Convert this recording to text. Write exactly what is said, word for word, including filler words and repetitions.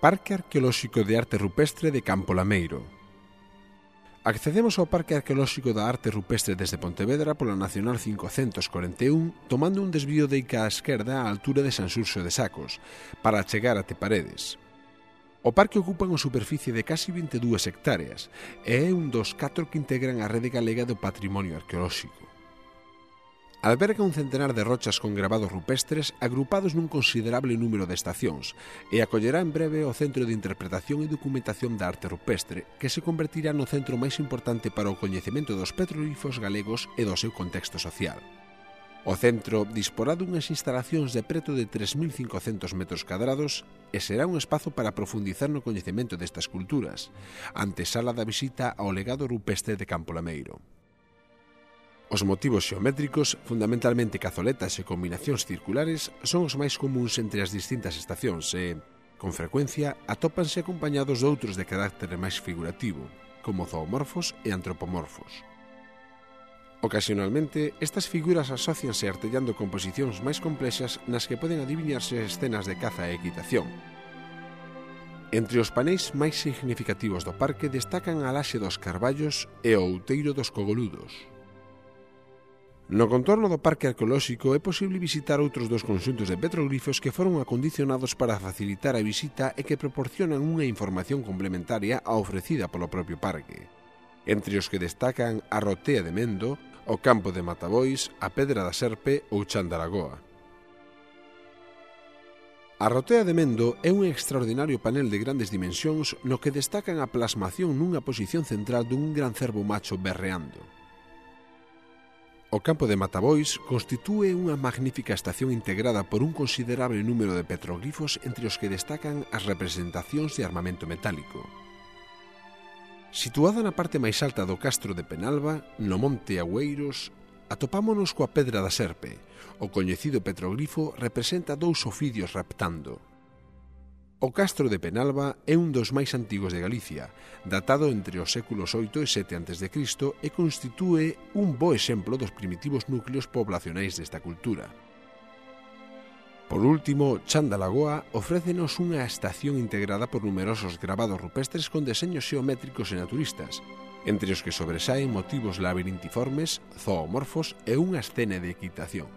Parque Arqueolóxico de Arte Rupestre de Campo Lameiro. Accedemos ao Parque Arqueolóxico da Arte Rupestre desde Pontevedra pola Nacional cincocentos corenta e un, tomando un desvío de Ica á esquerda á altura de Sanxurxo de Sacos, para chegar até Paredes. O parque ocupa unha superficie de casi vinte e dúas hectáreas e é un dos catro que integran a Rede Galega do Patrimonio Arqueolóxico. Alberga un centenar de rochas con gravados rupestres agrupados nun considerable número de estacións e acollerá en breve o Centro de Interpretación e Documentación da Arte Rupestre, que se convertirá no centro máis importante para o coñecemento dos petroglifos galegos e do seu contexto social. O centro disporá dunhas instalacións de preto de tres mil cincocentos metros cadrados e será un espazo para profundizar no coñecemento destas culturas, antesala da visita ao legado rupestre de Campo Lameiro. Os motivos xeométricos, fundamentalmente cazoletas e combinacións circulares, son os máis comuns entre as distintas estacións e, con frecuencia, atópanse acompañados de outros de carácter máis figurativo, como zoomorfos e antropomorfos. Ocasionalmente, estas figuras asócianse artellando composicións máis complexas nas que poden adivinharse escenas de caza e equitación. Entre os paneis máis significativos do parque destacan a laxe dos carballos e o outeiro dos cogoludos. No contorno do Parque Arqueolóxico é posible visitar outros dos conxuntos de petroglifos que foron acondicionados para facilitar a visita e que proporcionan unha información complementaria á ofrecida polo propio parque, entre os que destacan a Rotea de Mendo, o Campo de Matabois, a Pedra da Serpe ou Chan da Lagoa. A Rotea de Mendo é un extraordinario panel de grandes dimensións no que destacan a plasmación nunha posición central dun gran cervo macho berreando. O Campo de Matabois constitúe unha magnífica estación integrada por un considerable número de petroglifos entre os que destacan as representacións de armamento metálico. Situada na parte máis alta do castro de Penalba, no Monte Agüeiros, atopámonos coa Pedra da Serpe. O coñecido petroglifo representa dous ofidios raptando. O castro de Penalba é un dos máis antigos de Galicia, datado entre os séculos oito e sete antes de Cristo e constitúe un bo exemplo dos primitivos núcleos poblacionais desta cultura. Por último, Chan da Lagoa ofrécenos unha estación integrada por numerosos gravados rupestres con deseños xeométricos e naturistas, entre os que sobresaen motivos labirintiformes, zoomorfos e unha escena de equitación.